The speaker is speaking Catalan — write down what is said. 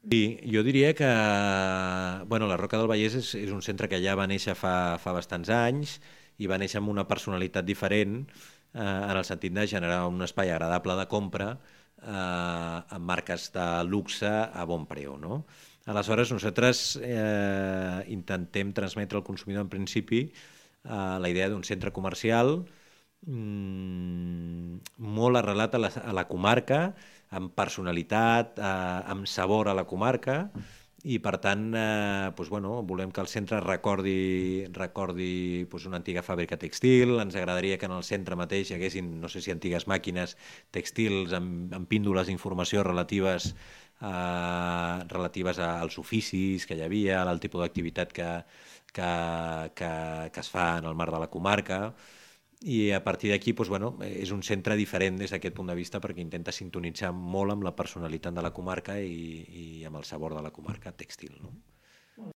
Sí, jo diria que la Roca del Vallès és un centre que ja va néixer fa bastants anys i va néixer amb una personalitat diferent en el sentit de generar un espai agradable de compra amb marques de luxe a bon preu, no? Aleshores, nosaltres intentem transmetre al consumidor en principi la idea d'un centre comercial molt arrelat a la comarca, amb personalitat, amb sabor a la comarca, i per tant volem que el centre recordi una antiga fàbrica textil. Ens agradaria que en el centre mateix hi haguessin, no sé si antigues màquines textils amb píndoles d'informació relatives als oficis que hi havia, al tipus d'activitat que es fa en el marc de la comarca, i a partir d'aquí és un centre diferent des d'aquest punt de vista perquè intenta sintonitzar molt amb la personalitat de la comarca i amb el sabor de la comarca tèxtil.